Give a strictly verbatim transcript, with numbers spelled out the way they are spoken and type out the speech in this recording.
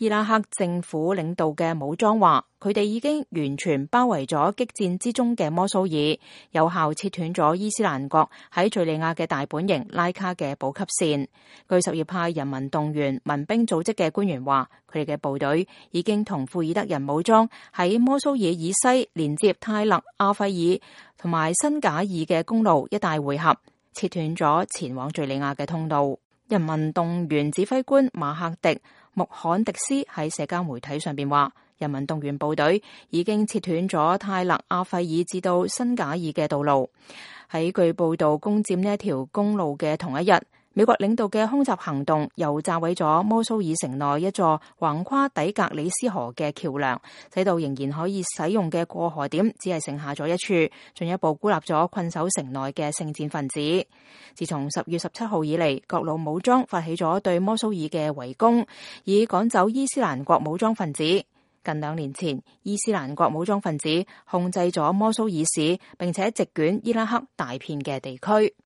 伊拉克政府領導嘅武裝話，佢哋已經完全包圍咗激戰之中嘅摩蘇爾，有效切斷咗伊斯蘭國喺敘利亞嘅大本營拉卡嘅補給線。據什葉派人民動員民兵組織嘅官員話，佢哋嘅部隊已經同庫爾德人武裝喺摩蘇爾以西連接泰勒阿費爾同埋辛賈爾嘅公路一帶會合，切斷咗前往敘利亞嘅通道。人民動員指揮官馬克迪穆罕迪斯喺社交媒體上邊話，人民動員部隊已經切斷咗泰勒阿費爾至到辛賈爾嘅道路。喺據報道攻佔呢一條公路嘅同一日，美國領導嘅空襲行動又炸毀咗摩蘇爾城內一座橫跨底格里斯河嘅橋樑，使到仍然可以使用嘅過河點只係剩下咗一處，進一步孤立咗困守城內嘅聖戰分子。自從十月十七號以嚟，各路武裝發起咗對摩蘇爾嘅圍攻，以趕走伊斯蘭國武裝分子。近兩年前，伊斯蘭國武裝分子控制咗摩蘇爾市，並且席捲伊拉克大片嘅地區。